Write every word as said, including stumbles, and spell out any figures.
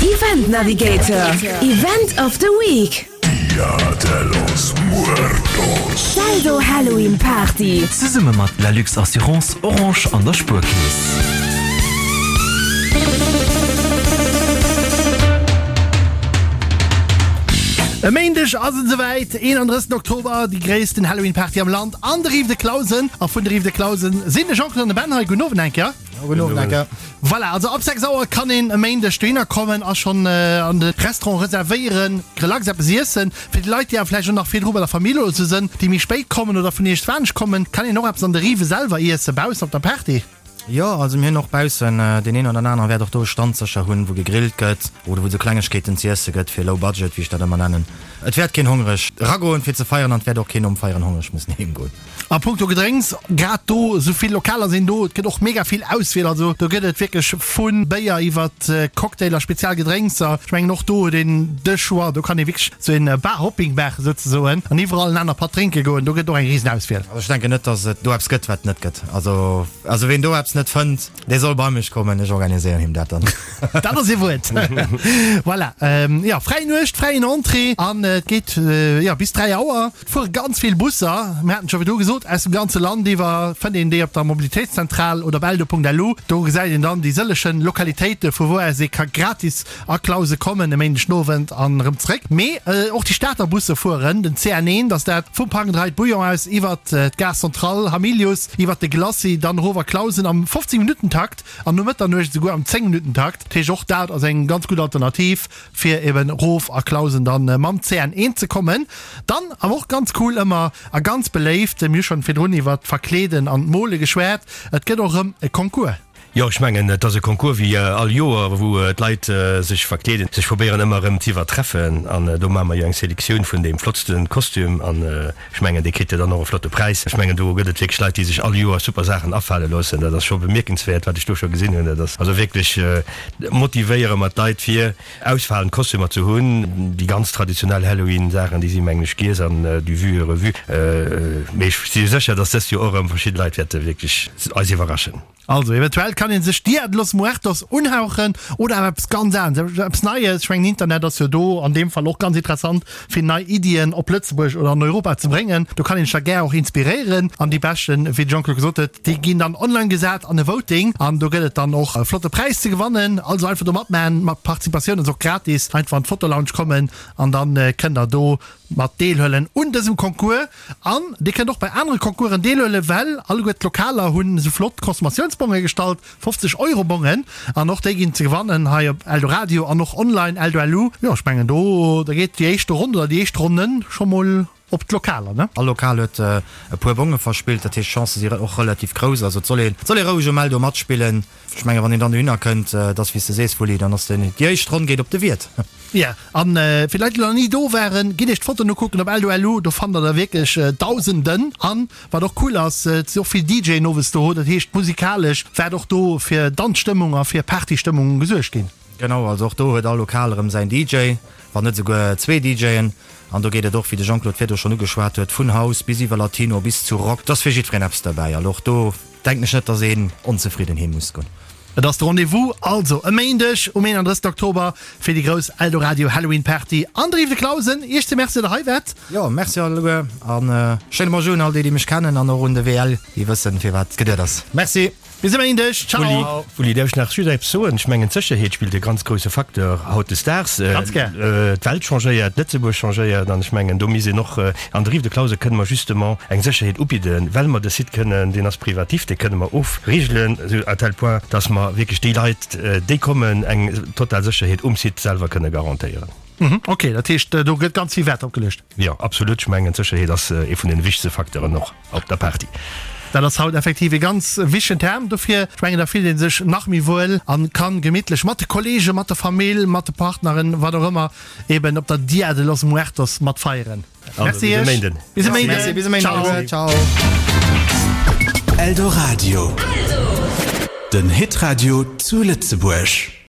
Event Navigator, Event of the Week. Dia de los Muertos. D'Eldo Halloween Party. Zesumme mat Lalux Assurance, Orange an der Spuerkeess. E Méindeg ass et esouwäit, eenandrëssegsten Oktober, déi gréissten Halloween Party am Land an der Rive de Clausen. A vun der Rive de Clausen sinn de Jean-Claude an de Ben hei. Gudden Owend eng Kéier. Gudden Owend eng Kéier. Voilà, also ab sechs Auer kann een e Méindeg dohinner kommen a schonn an de Restaurant reservéieren, relax eppes iessen. Fir déi Leit, déi awer vläicht och nach virdru bei der Famill oder sou sënn, déi méi spéit kommen oder vun iergendwann kommen, kann een och eppes an der Rive selwer iessen, baussen op der Party. Jo, also mir hunn och baussen, deen een oder anere wäert och do e Stand sécher hunn, wou gegrillt gëtt oder wou et sou Klengegkeeten ze iesse gëtt, fir low budget, wéi ech dat ëmmer nennen. Et wäert keen hongreg eragoen fir ze feieren an et wäert och keen nom Feieren hongreg mussen heem goen. A punkto Gedrénks, grad do, esou vill Lokaler sinn do, et gëtt och mega vill Auswiel, also do gëtt et wierklech vu Béier iwwert Cocktailer, spezial Gedrénkser. Ech mengen och do huet een de Choix, do kann ee wierklech sou een Bar-Hopping maachen souzesoen an iwwerall en aner Patt drénke goen, do gëtt et och eng risen Auswiel. Also ech denken net, dass et do eppes gëtt, wat et net gëtt. Also also ween do eppes net fënnt, dee soll bei mech kommen, ech organiséieren him dat dann. Dat ass ee Wuert. Voilà, jo, fräi Nuecht, fräien Entrée an et geet jo bis dräi Auer. Et fuere ganz vill Busser, mir haten et scho virdru gesot, aus dem ganze Land iwwer. Fënnt een déi op der Mobilitéitszentral oder op eldo.lu. Do gesäit een dann déi sëllechen Lokalitéite vu wou aus ee ka gratis a Clausen kommen e Méindeg den Owend an erëm zréck. Mee och déi Stater Busse fueren, den C N eent ass dat, vum Park and Ride Bouillon aus iwwert d'Gare Centrale, Hamilius, iwwert de Glacis, dann erof a Clausen am fofzéng Minutten Takt an no Mëtternuecht esouguer am zéng Minutten Takt. Dat heescht och dat ass eng ganz gutt Alternativ fir eben erof a Clausen dann mam C N eent ze kommen. Dann awer och ganz cool ëmmer a ganz beléift, mir hu schonn virdrun iwwert d'Verkleeden an d'Mole geschwat, et gëtt och erëm e Concours. Jo, ech mengen, et ass e Concours wéi all Joer, wou d'Leit sech verkleeden, sech probéieren ëmmer erëm z'iwwertreffen. An do maache mer jo eng Selektioun vun deem flottste Kostüm. An ech mengen, dee kritt jo dann och e flotte Präis. Ech mengen, do gëtt et wierklech Leit, déi sech all Joer super Saachen afale loossen. Dat ass scho bemierkenswäert, wat ech do scho gesinn hunn. Dat ass also wierklech, motivéiere mer d'Leit, fir ausfalend Kostümer ze hunn. Déi ganz traditionell Halloween-Saachen, déi si mengen ech giess an du vu et revu. Mee ech si sécher, dass dëst Joer och erëm verschidde Leit wäerte wierklech eis iwwerraschen. Also eventuell kann een sech Dia de los Muertos unhauchen oder awer eppes ganz anescht, eppes Neies. Ech mengen Internet ass jo do an deem Fall och ganz interessant fir nei Iddien op Lëtzebuerg oder an Europa ze bréngen. Do kann een sech da gär och inspiréieren an déi beschten, wéi de Jean-Claude gesot huet, déi ginn dann online gesat an e Voting an do gëtt et dann och e flotte Präis ze gewannen. Also einfach do matmaachen, mat Participatioun ass och gratis, einfach an d'Fotolounge kommen an dann kënnt der do mat deelhuelen un dësem Concours. An Dir kënnt och bei anere Concoursen deelhuelen, well alleguer d'Lokaler hunn esou flott Consommatiounsbonge gestallt, fofzeg Euro Bongen, an och déi ginn ze gewannen hei op Eldoradio an och online eldo punkt lu. Jo, ech mengen do da geet déi éischte Ronn oder déi éischt Ronnen scho mol op d'Lokaler, ne? All Lokal huet e puer Bonge verspillt, dat heescht d'Chancë si och relativ grouss. Also et soll een, et soll ee roueg um Eldo matspillen. Ech mengen, wann een dann dohinner kënnt, et ass wéi s de sees, Wulli, dann ass den, déi éischt Ronn geet op de Wiert. Jo, an fir Leit déi nach ni do waren, gitt iech d'Fotoen ukucken op eldo punkt lu, do fannt der der wierklech dausenden. An wat och cool ass, et si och vill D J'en owes do, dat heescht musikalesch wäert och do fir Danzstëmmung a fir Partystëmmung gesuergt ginn. Genau, also och do huet all Lokal erëm säin D J, wann net esouguer zwee D J'en. An do geet et och, wéi de Jean-Claude virdu schonn ugeschwat huet, vun House bis iwwer Latino bis zu Rock. Et ass fir jiddwereen eppes derbäi. Also och do denken ech net, dass een onzefridden heem muss goen. Et ass de Rendez-vous also e Méindeg um eenandrëssegsten Oktober fir déi grouss Eldoradio Halloween Party an der Rive de Clausen. Iech ze Merci, datt der hei waart. Jo, merci alleguer an schéine Bonjour un all déi, déi mech kennen an och un de W L, déi wëssen, firwat geduet ass. Merci. Bis e Méindeg. Ciao. Wulli, däerf ech nach just eppes soen? Ech mengen, d'Sécherheet spillt e ganz grousse Facteur hautdesdaags. Ganz gär. D'Welt changéiert, Lëtzebuerg changéiert an ech mengen, do misst een och, an der Rive de Clausen kënne mer justement eng Sécherheet ubidden, well mer de Site kënnen, deen ass privatif, dee kënne mer ofrigelen, esou à tel point, dass mer wierklech déi Leit, déi kommen, eng total Sécherheet um Site selwer kënne garantéieren. Ok, dat heescht, do gëtt ganz vill Wäert drop geluecht. Jo, absolut. Ech mengen, d'Sécherheet ass ee vun den wichtegste Facteuren och op der Party. Dat ass haut effektiv ee ganz wichtegen Term. Dofir, ech mengen, da fillt ee sech nach méi wuel a kann gemittlech mat de Kollegen, mat der Famill, mat de Partneren, wat och ëmmer, eben op der Dia de los Muertos mat feieren. Also, Merci bis e iech. Méinden. Bis e Méinden. Merci, bis e Méinden. Ciao. Ciao. Eldoradio, den Hitradio zu Lëtzebuerg.